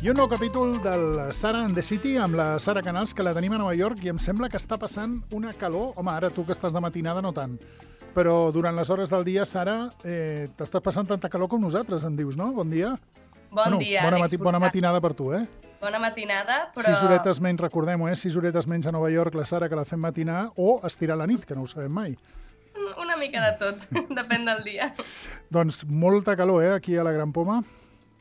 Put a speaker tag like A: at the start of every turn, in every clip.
A: I un nou capítol del Sara and the City amb la Sara Canals, que la tenim a Nova York i em sembla que està passant una calor. Home, ara tu que estàs de matinada no tant, però durant les hores del dia, Sara, t'estàs passant tanta calor com nosaltres, em dius, no? Bon dia.
B: Bon dia, Àlex.
A: Bona matinada per tu,
B: Bona matinada, però...
A: 6 horetes menys, recordem-ho, 6 horetes menys a Nova York, la Sara, que la fem matinar, o estirar la nit, que no ho sabem mai.
B: Una mica de tot, depèn del dia.
A: Doncs molta calor, aquí a la Gran Poma.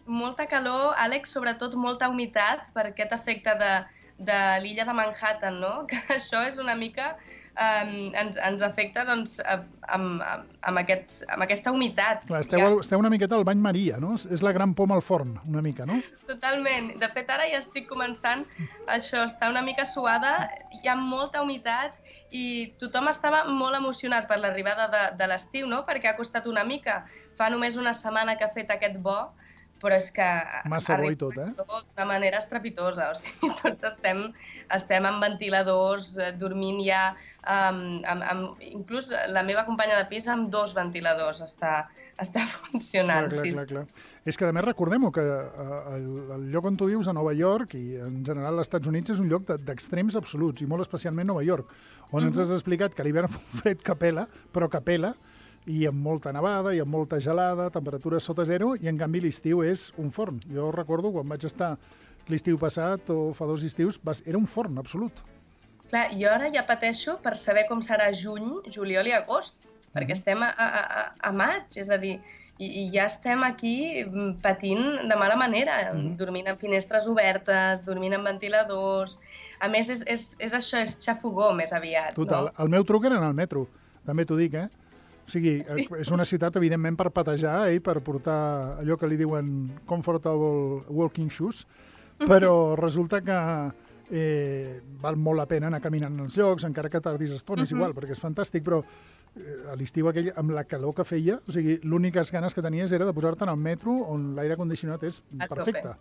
B: Molta calor, Àlex, sobretot molta humitat per aquest efecte de l'illa de Manhattan, no? Que això és una mica... ens afecta doncs, amb aquesta humitat.
A: Clar, esteu una miqueta al bany Maria, no? És la Gran Poma al forn, una mica, no?
B: Totalment. De fet, ara ja estic començant això, està una mica suada, hi ha molta humitat i tothom estava molt emocionat per l'arribada de l'estiu, no? Perquè ha costat una mica. Fa només una setmana que ha fet aquest bo, però és que...
A: Massa bo i tot,
B: D'una manera estrepitosa. O sigui, tots estem amb ventiladors, dormint ja... inclús la meva companya de pis amb 2 ventiladors està funcionant.
A: Clar. És que, a més, recordem-ho, que el lloc on tu vius, a Nova York, i en general als Estats Units, és un lloc d'extrems absoluts, i molt especialment Nova York, on ens has explicat que l'hivern fa un fred que pela, però que pela, i amb molta nevada, i amb molta gelada, temperatures sota zero, i en canvi l'estiu és un forn. Jo recordo quan vaig estar l'estiu passat, o fa 2 estius, era un forn absolut.
B: Clar, jo ara ja pateixo per saber com serà juny, juliol i agost, perquè estem a maig, és a dir, i ja estem aquí patint de mala manera, dormint amb finestres obertes, dormint amb ventiladors... A més, és això, és xafogó més aviat.
A: Total,
B: no?
A: El meu truc era en el metro, també t'ho dic, O sigui, sí. És una ciutat, evidentment, per patejar i per portar allò que li diuen comfortable walking shoes, però resulta que val molt la pena anar caminant als llocs, encara que tardis estona, és igual, perquè és fantàstic, però a l'estiu aquell, amb la calor que feia, o sigui, l'úniques ganes que tenies era de posar-te en el metro on l'aire condicionat és perfecte.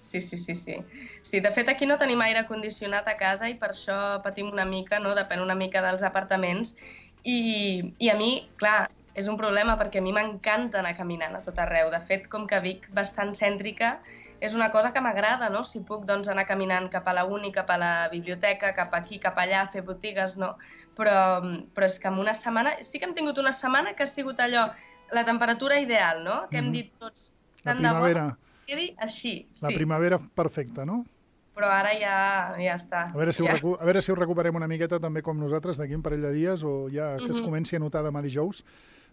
B: Sí. Sí, de fet, aquí no tenim aire condicionat a casa i per això patim una mica, no? Depèn una mica dels apartaments. I a mi, clar, és un problema perquè a mi m'encanta anar caminant a tot arreu. De fet, com que Vic bastant cèntrica, és una cosa que m'agrada, no? Si puc, doncs, anar caminant cap a la uni, cap a la biblioteca, cap aquí, cap allà, fer botigues, no? Però és que en una setmana... Sí que hem tingut una setmana que ha sigut allò, la temperatura ideal, no? Que hem dit tots, tant de bo que quedi així.
A: La primavera perfecta, no?
B: Però ara ja està.
A: A veure si ho recuperem una miqueta també com nosaltres d'aquí un parell de dies o ja que es comenci a notar demà dijous.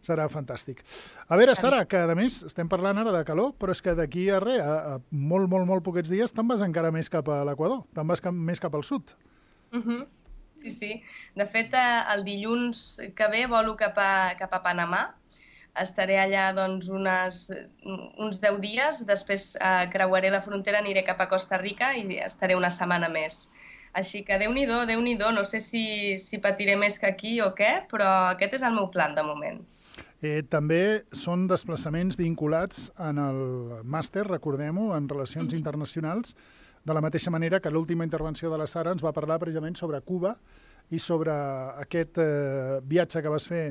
A: Serà fantàstic. A veure, Sara, que a més estem parlant ara de calor, però és que d'aquí a res, a molt poquets dies, te'n vas encara més cap a l'Equador, te'n vas més cap al sud.
B: Sí. De fet, el dilluns que ve volo cap a Panamà. Estaré allà doncs, uns 10 dies, després creuaré la frontera, aniré cap a Costa Rica i estaré una setmana més. Així que Déu-n'hi-do, no sé si patiré més que aquí o què, però aquest és el meu plan de moment.
A: També són desplaçaments vinculats en el màster, recordem-ho, en Relacions Internacionals, de la mateixa manera que l'última intervenció de la Sara ens va parlar precisament sobre Cuba i sobre aquest viatge que vas fer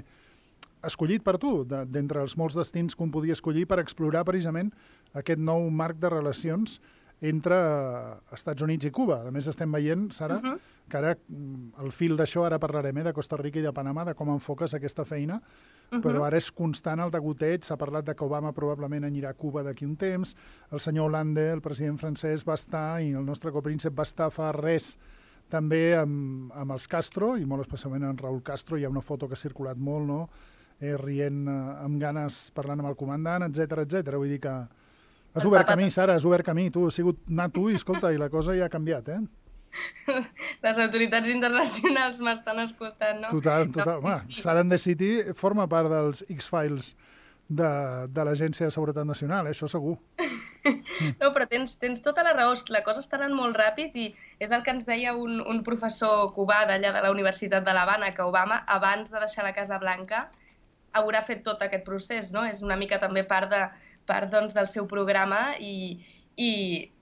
A: escollit per tu, d'entre els molts destins que un podia escollir per explorar precisament aquest nou marc de relacions entre Estats Units i Cuba. A més, estem veient, Sara, que ara el fil d'això, ara parlarem de Costa Rica i de Panamà, de com enfoques aquesta feina, però ara és constant el degoteig. S'ha parlat de que Obama probablement anirà a Cuba d'aquí un temps, el senyor Hollande, el president francès, va estar, i el nostre copríncep va estar fa res també amb els Castro, i molt especialment en Raúl Castro. Hi ha una foto que ha circulat molt, no?, rient amb ganes, parlant amb el comandant, etc. Vull dir que has obert camí, Sara, has obert camí. Tu has sigut anar tu i, escolta, i la cosa ja ha canviat,
B: Les autoritats internacionals m'estan escoltant, no?
A: Total. Sara and the City forma part dels X-Files de l'Agència de Seguretat Nacional, això segur.
B: No, però tens tota la raó. La cosa està anant molt ràpid i és el que ens deia un professor cubà d'allà de la Universitat de l'Havana, que Obama, abans de deixar la Casa Blanca, haurà fet tot aquest procés, no? És una mica també part doncs, del seu programa i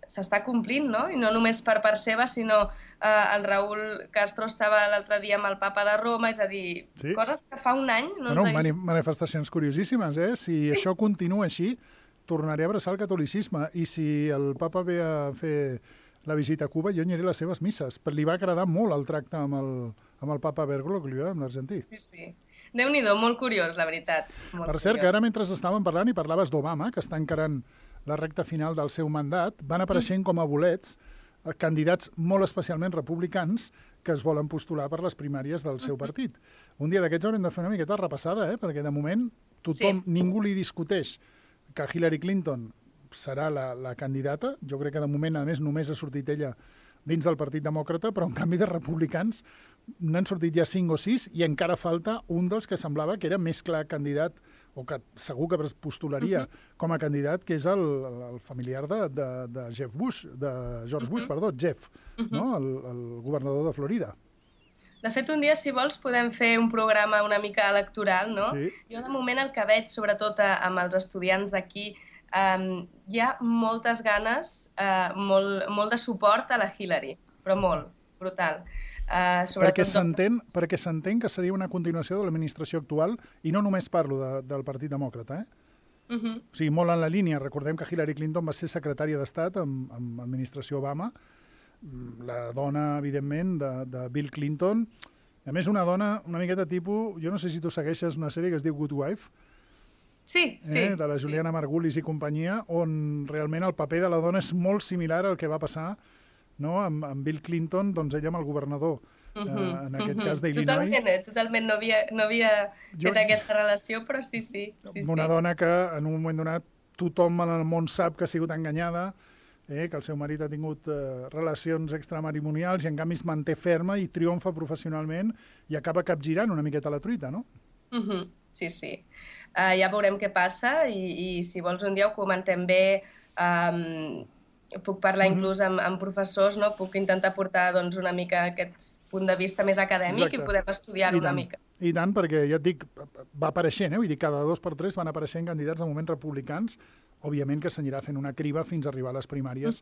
B: s'està complint, no? I no només per part seva, sinó el Raúl Castro estava l'altre dia amb el papa de Roma, és a dir, coses que fa un any no ens hagués...
A: Manifestacions curiosíssimes, Si això continua així, tornaré a abraçar el catolicisme i si el papa ve a fer la visita a Cuba, jo aniré a les seves misses. Li va agradar molt el tracte amb el papa Bergoglio, amb l'argentí.
B: Sí. Déu-n'hi-do, molt curiós, la veritat.
A: Per cert, que ara mentre estàvem parlant i parlaves d'Obama, que està encarant la recta final del seu mandat, van apareixent com a bolets candidats molt especialment republicans que es volen postular per les primàries del seu partit. Un dia d'aquests haurem de fer una miqueta repassada, perquè de moment ningú li discuteix que Hillary Clinton serà la candidata. Jo crec que de moment, a més, només ha sortit ella dins del Partit Demòcrata, però en canvi de republicans n'han sortit ja 5 o 6 i encara falta un dels que semblava que era més clar candidat o que segur que postularia com a candidat, que és el familiar de Jeff Bush, de George Bush, perdó, Jeff, no? El governador de Florida.
B: De fet, un dia, si vols, podem fer un programa una mica electoral, no?
A: Sí.
B: Jo, de moment, el que veig, sobretot amb els estudiants d'aquí, hi ha moltes ganes, molt de suport a la Hillary, però molt, brutal.
A: Perquè s'entén que seria una continuació de l'administració actual, i no només parlo del Partit Demòcrata, O sigui, molt en la línia. Recordem que Hillary Clinton va ser secretària d'Estat amb l'administració Obama, la dona, evidentment, de Bill Clinton. A més, una dona una miqueta tipus... Jo no sé si tu segueixes una sèrie que es diu Good Wife,
B: sí.
A: De la Juliana Margulis i companyia, on realment el paper de la dona és molt similar al que va passar, no? amb Bill Clinton, doncs ella amb el governador, en aquest cas d'Illinois.
B: Totalment, no havia fet aquesta relació, però sí.
A: Una dona que en un moment donat tothom en el món sap que ha sigut enganyada, que el seu marit ha tingut relacions extramatrimonials i en canvi es manté ferma i triomfa professionalment i acaba capgirant una miqueta la truita, no?
B: Sí. Ja veurem què passa i si vols un dia ho comentem bé. Puc parlar inclús amb professors, no? Puc intentar portar una mica aquest punt de vista més acadèmic. Exacte. I podem estudiar-ho una mica. I
A: tant, perquè ja et dic, va apareixent, vull dir, cada 2 per 3 van apareixent candidats de moment republicans, òbviament que s'anirà fent una criba fins a arribar a les primàries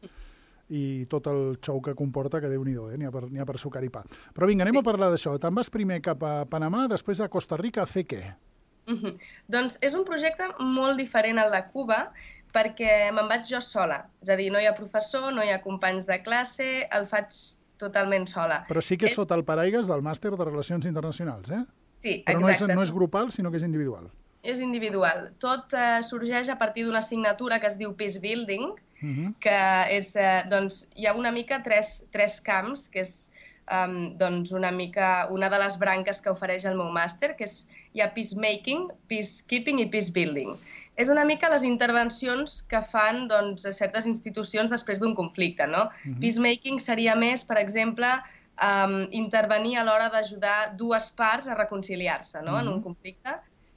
A: i tot el xou que comporta, que Déu-n'hi-do, n'hi ha per sucar i pa. Però vinga, anem a parlar d'això. Te'n vas primer cap a Panamà, després a Costa Rica a fer què?
B: Doncs és un projecte molt diferent al de Cuba, perquè me'n vaig jo sola. És a dir, no hi ha professor, no hi ha companys de classe, el faig totalment sola.
A: Però sí que és sota el paraigües del màster de Relacions Internacionals,
B: Sí,
A: exacte. Però no és grupal, sinó que és individual.
B: És individual. Tot sorgeix a partir d'una assignatura que es diu Peace Building, que és, hi ha una mica tres camps, que és una mica una de les branques que ofereix el meu màster, que hi ha peacemaking, peacekeeping i peacebuilding. És una mica les intervencions que fan certes institucions després d'un conflicte, no? Peacemaking seria més, per exemple, intervenir a l'hora d'ajudar 2 parts a reconciliar-se, no? En un conflicte.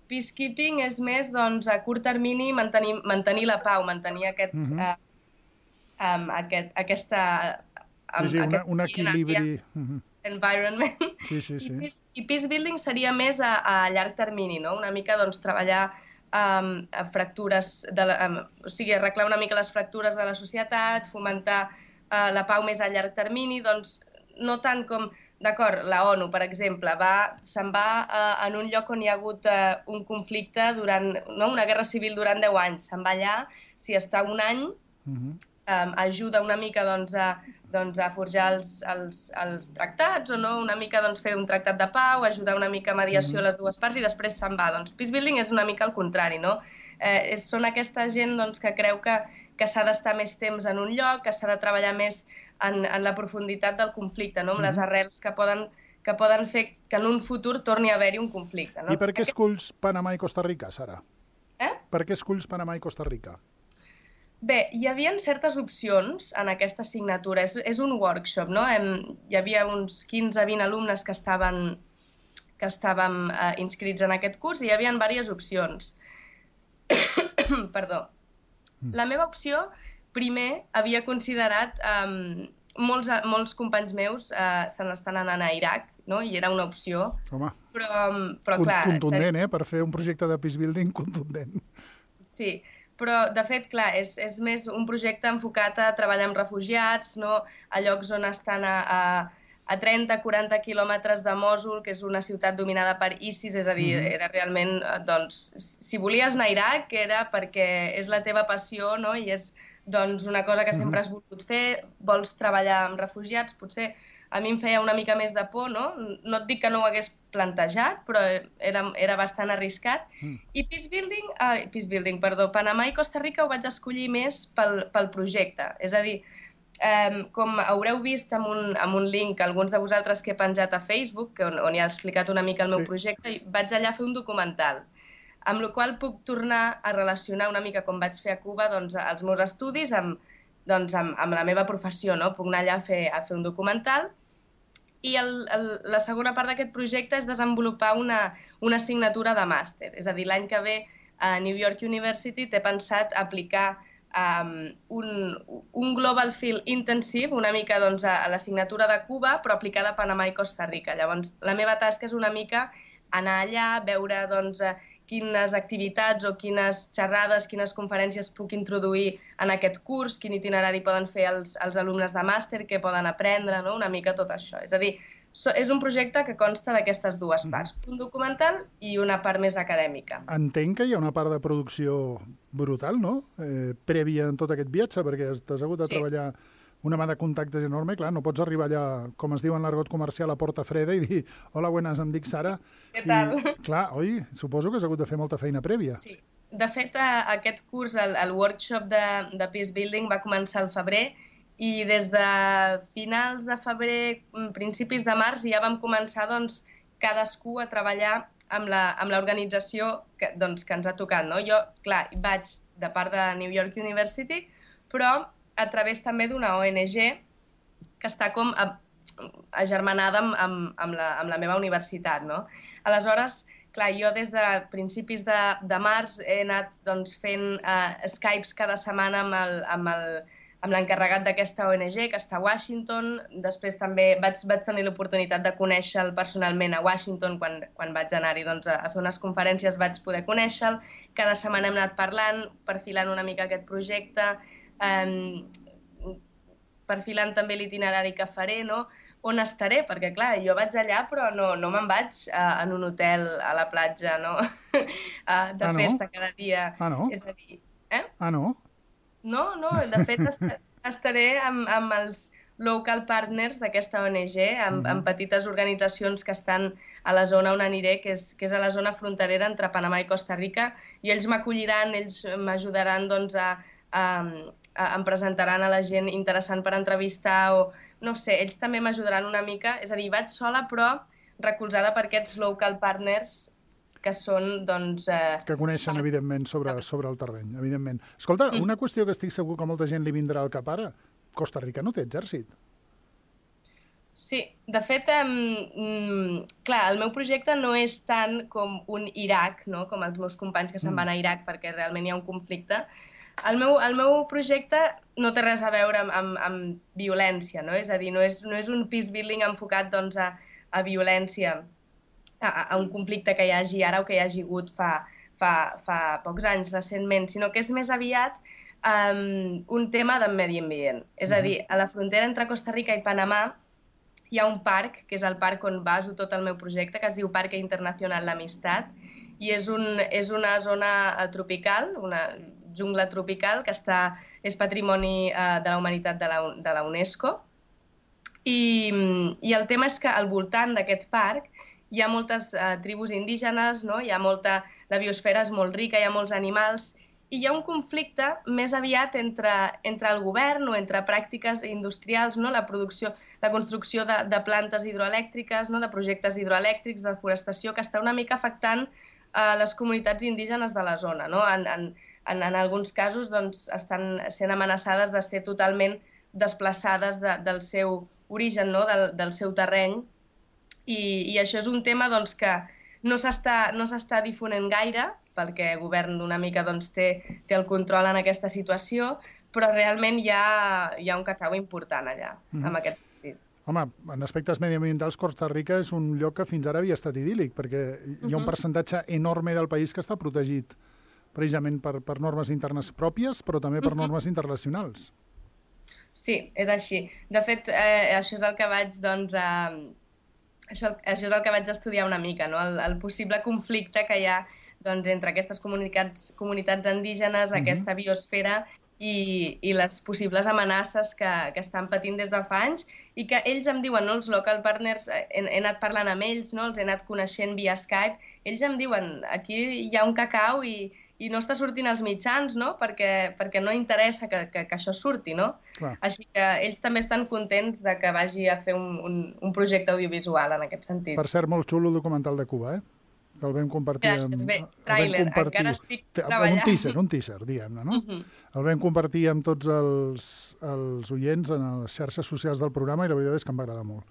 B: Peacekeeping és més, a curt termini, mantenir la pau, mantenir
A: un equilibri...
B: environment.
A: Sí.
B: I peacebuilding seria més a llarg termini, no? Una mica treballar fractures, o sigui, arreglar una mica les fractures de la societat, fomentar la pau més a llarg termini, no tant com, d'acord, la ONU, per exemple, se'n va en un lloc on hi ha hagut un conflicte una guerra civil durant 10 anys, se'n va allà, si està un any, ajuda una mica a forjar els tractats o no, una mica fer un tractat de pau, ajudar una mica a mediació a les 2 parts i després se'n va. Peacebuilding és una mica el contrari, no? Són aquesta gent que creu que s'ha d'estar més temps en un lloc, que s'ha de treballar més en la profunditat del conflicte, no? Amb les arrels que poden fer que en un futur torni a haver-hi un conflicte.
A: I per què esculls Panamà i Costa Rica, Sara? Per què esculls Panamà i Costa Rica?
B: Bé, hi havia certes opcions en aquesta assignatura. És un workshop, no? Hi havia uns 15-20 alumnes que estàvem inscrits en aquest curs i hi havia diverses opcions. Perdó. La meva opció, primer, havia considerat... Molts companys meus se n'estan anant a Iraq, no? I era una opció.
A: Home,
B: però clar...
A: Contundent, per fer un projecte de peacebuilding contundent.
B: Sí, però, de fet, clar, és més un projecte enfocat a treballar amb refugiats, no? A llocs on estan a 30-40 quilòmetres de Mòsul, que és una ciutat dominada per ISIS, és a dir, era realment, doncs, si volies anar a Iraq era perquè és la teva passió, no? I és doncs, una cosa que sempre has volgut fer, vols treballar amb refugiats, potser a mi em feia una mica més de por, no? No et dic que no ho hagués plantejat, però era bastant arriscat. I Panamà i Costa Rica ho vaig escollir més pel projecte. És a dir, com haureu vist amb un link, alguns de vosaltres que he penjat a Facebook, on hi ha explicat una mica el meu projecte, vaig allà a fer un documental, amb la qual puc tornar a relacionar una mica com vaig fer a Cuba doncs, els meus estudis amb la meva professió, no? Puc anar allà a fer un documental. I la segona part d'aquest projecte és desenvolupar una assignatura de màster. És a dir, l'any que ve a New York University t'he pensat aplicar un Global Field Intensive, una mica doncs, a l'assignatura de Cuba, però aplicada a Panamà i Costa Rica. Llavors, la meva tasca és una mica anar allà, veure doncs, quines activitats o quines xerrades, quines conferències puc introduir en aquest curs, quin itinerari poden fer els alumnes de màster, què poden aprendre, no? Una mica tot això. És a dir, és un projecte que consta d'aquestes dues parts, un documental i una part més acadèmica.
A: Entenc que hi ha una part de producció brutal, no? Prèvia en tot aquest viatge, perquè t'has hagut de treballar una mà de contactes enorme, clar, no pots arribar allà, com es diu en l'argot comercial, a porta freda i dir, hola, buenas, em dic Sara.
B: Què tal?
A: I, clar, oi, suposo que has hagut de fer molta feina prèvia.
B: Sí. De fet, aquest curs, el workshop de Peace Building va començar al febrer i des de finals de febrer, principis de març, ja vam començar doncs, cadascú a treballar amb l'organització que ens ha tocat. No? Jo, clar, vaig de part de New York University, però a través també d'una ONG que està com agermanada amb la meva universitat. No? Aleshores, clar, jo des de principis de març he anat doncs, fent Skypes cada setmana amb l'encarregat d'aquesta ONG, que està a Washington. Després també vaig tenir l'oportunitat de conèixer-lo personalment a Washington, quan vaig anar-hi doncs, a fer unes conferències vaig poder conèixer-lo. Cada setmana hem anat parlant, perfilant una mica aquest projecte, perfilant també l'itinerari que faré, no? On estaré, perquè clar, jo vaig allà però no me'n vaig en un hotel a la platja, no? De festa cada dia.
A: No?
B: És a dir,
A: no?
B: No, de fet estaré amb els local partners d'aquesta ONG, amb petites organitzacions que estan a la zona on aniré, que és a la zona fronterera entre Panamà i Costa Rica, i ells m'acolliran, ells m'ajudaran doncs, em presentaran a la gent interessant per entrevistar o, no sé, ells també m'ajudaran una mica. És a dir, vaig sola però recolzada per aquests local partners que són, doncs...
A: Que coneixen, evidentment, sobre el terreny, evidentment. Escolta, una qüestió que estic segur que molta gent li vindrà al cap ara. Costa Rica no té exèrcit.
B: Sí, de fet, clar, el meu projecte no és tant com un Iraq, no? Com els meus companys que se'n van a Iraq perquè realment hi ha un conflicte. El meu projecte no té res a veure amb violència, no? És a dir, no és un peace building enfocat doncs, a violència, a un conflicte que hi hagi ara o que hi hagi hagut fa pocs anys recentment, sinó que és més aviat un tema de medi ambient. És a dir, a la frontera entre Costa Rica i Panamà hi ha un parc, que és el parc on baso tot el meu projecte, que es diu Parque Internacional l'Amistat, i és una zona tropical, una jungla tropical, que és patrimoni de la humanitat de la UNESCO. I el tema és que al voltant d'aquest parc hi ha moltes tribus indígenes, no? La biosfera és molt rica, hi ha molts animals, i hi ha un conflicte més aviat entre el govern o entre pràctiques industrials, no? La construcció de plantes hidroelèctriques, no? De projectes hidroelèctrics, de forestació, que està una mica afectant les comunitats indígenes de la zona. No? En alguns casos doncs, estan sent amenaçades de ser totalment desplaçades del seu origen, no? Del seu terreny, i això és un tema doncs, que no s'està difonent gaire, perquè el govern una mica doncs, té el control en aquesta situació, però realment hi ha un cacau important allà, amb aquest sentit.
A: Home, en aspectes mediambientals, Costa Rica és un lloc que fins ara havia estat idíl·lic, perquè hi ha un percentatge enorme del país que està protegit precisament per normes internes pròpies, però també per normes internacionals.
B: Sí, és així. De fet, això és el que vaig, doncs, això és el que vaig estudiar una mica, no? El possible conflicte que hi ha doncs, entre aquestes comunitats indígenes, aquesta biosfera i les possibles amenaces que estan patint des de fa anys i que ells em diuen, no? Els local partners, he anat parlant amb ells, no? Els he anat coneixent via Skype, ells em diuen, aquí hi ha un cacau i no està sortint als mitjans, no? Perquè no interessa que això surti, no?
A: Clar.
B: Així que ells també estan contents de que vagi a fer un projecte audiovisual en aquest sentit.
A: Per cert, molt xulo el documental de Cuba, que el vam compartir...
B: Gràcies, bé, tràiler, encara estic treballant.
A: Un teaser, diguem-ne, no? El vam compartir amb tots els oients en les xarxes socials del programa i la veritat és que em va agradar molt.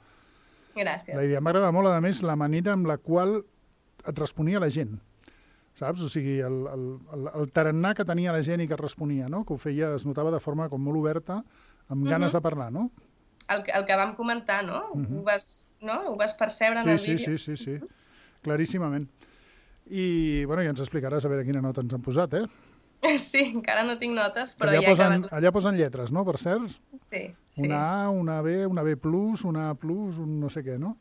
B: Gràcies.
A: La idea m'ha agradat molt, a més, la manera amb la qual et responia la gent, saps? O sigui, el tarannà que tenia la gent i que et responia, no? Que ho feia, es notava de forma com molt oberta, amb ganes de parlar, no?
B: El que vam comentar, no? Ho vas percebre en el vídeo?
A: Sí. Claríssimament. I, bueno, ja ens explicaràs a veure quina nota ens han posat,
B: Sí, encara no tinc notes, però
A: allà posen lletres, no, per cert?
B: Sí.
A: Una A, una B, una B+, una A+, un no sé què, no?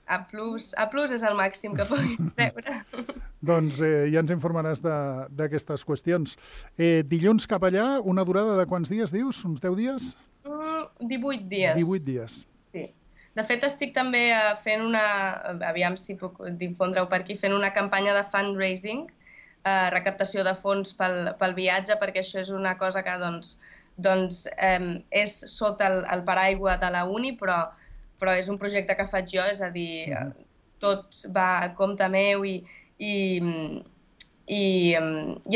B: A+, és el màxim que puguin treure.
A: Doncs ja ens informaràs d'aquestes qüestions. Dilluns cap allà, una durada de quants dies, dius? Uns 10 dies?
B: 18 dies.
A: 18 dies.
B: Sí. De fet, estic també fent aviam si puc difondre-ho per aquí, fent una campanya de fundraising, recaptació de fons pel viatge, perquè això és una cosa que és sota el paraigua de la uni, però és un projecte que faig jo, és a dir, tot va a compte meu i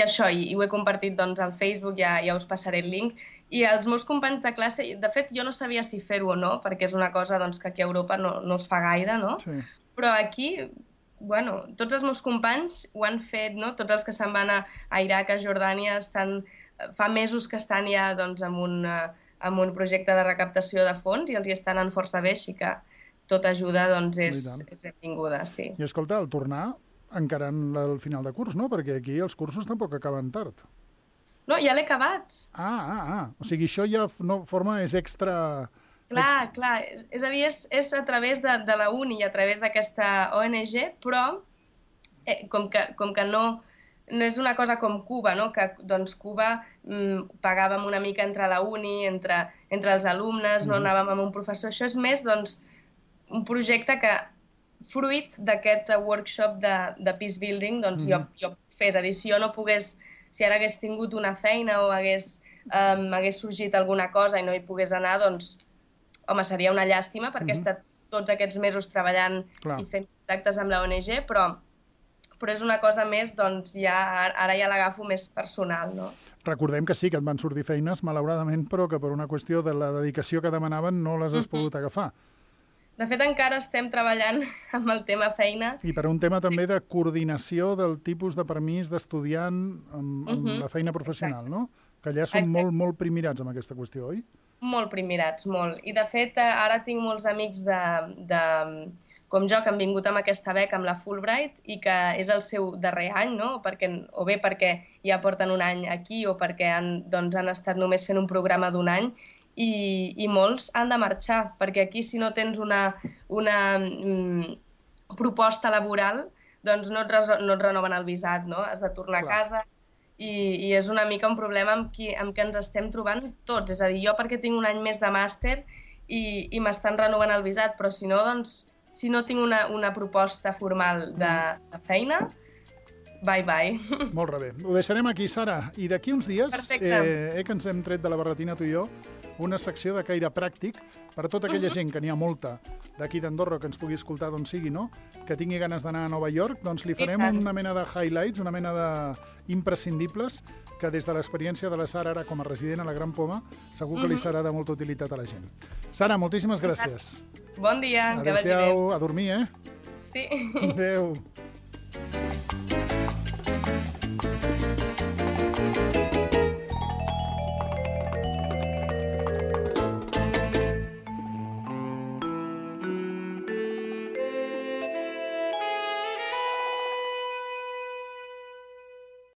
B: això, i ho he compartit doncs, al Facebook, ja us passaré el link. I els meus companys de classe, de fet, jo no sabia si fer-ho o no, perquè és una cosa doncs, que aquí a Europa no es fa gaire, no?
A: Sí.
B: Però aquí, bueno, tots els meus companys ho han fet, no? Tots els que se'n van a Iraq, a Jordània, fa mesos que estan ja doncs, amb un projecte de recaptació de fons i els hi estan anant força bé, així que tota ajuda doncs, és benvinguda, sí.
A: I escolta, al tornar, encara al final de curs, no? Perquè aquí els cursos tampoc acaben tard.
B: No, ja l'he acabat.
A: O sigui, això ja és extra...
B: Clar. És a dir, és a través de la uni i a través d'aquesta ONG, però com que no és una cosa com Cuba, no? Que doncs Cuba pagàvem una mica entre la uni, entre els alumnes, no anàvem amb un professor. Això és més doncs, un projecte que, fruit d'aquest workshop de peace building, doncs jo fes. És a dir, si ara hagués tingut una feina o hagués sorgit alguna cosa i no hi pogués anar, doncs, home, seria una llàstima perquè he estat tots aquests mesos treballant i fent contactes amb la ONG, però és una cosa més, doncs, ara ja l'agafo més personal, no?
A: Recordem que sí, que et van sortir feines, malauradament, però que per una qüestió de la dedicació que demanaven no les has pogut agafar.
B: De fet, encara estem treballant amb el tema feina.
A: I per un tema també de coordinació del tipus de permís d'estudiant amb la feina professional, no? Que allà són molt primirats amb aquesta qüestió, oi?
B: Molt primirats, molt. I de fet, ara tinc molts amics com jo que han vingut amb aquesta beca, amb la Fulbright, i que és el seu darrer any, no? O bé perquè ja porten un any aquí o perquè han estat només fent un programa d'un any, i molts han de marxar, perquè aquí si no tens una proposta laboral, doncs no et renoven el visat, no? Has de tornar a casa i és una mica un problema amb què ens estem trobant tots. És a dir, jo perquè tinc un any més de màster i m'estan renovant el visat, però si no, doncs, si no tinc una proposta formal de feina, bye.
A: Molt bé. Ho deixarem aquí, Sara. I d'aquí uns dies, que ens hem tret de la barretina tu i jo, una secció de caire pràctic per a tota aquella gent, que n'hi ha molta, d'aquí d'Andorra, que ens pugui escoltar d'on sigui, no? Que tingui ganes d'anar a Nova York, doncs li farem una mena de highlights, una mena d'imprescindibles, que des de l'experiència de la Sara ara com a resident a la Gran Poma, segur que li serà de molta utilitat a la gent. Sara, moltíssimes gràcies.
B: Bon dia, que vagi bé.
A: Adéu-siau, a dormir,
B: Sí.
A: Adéu.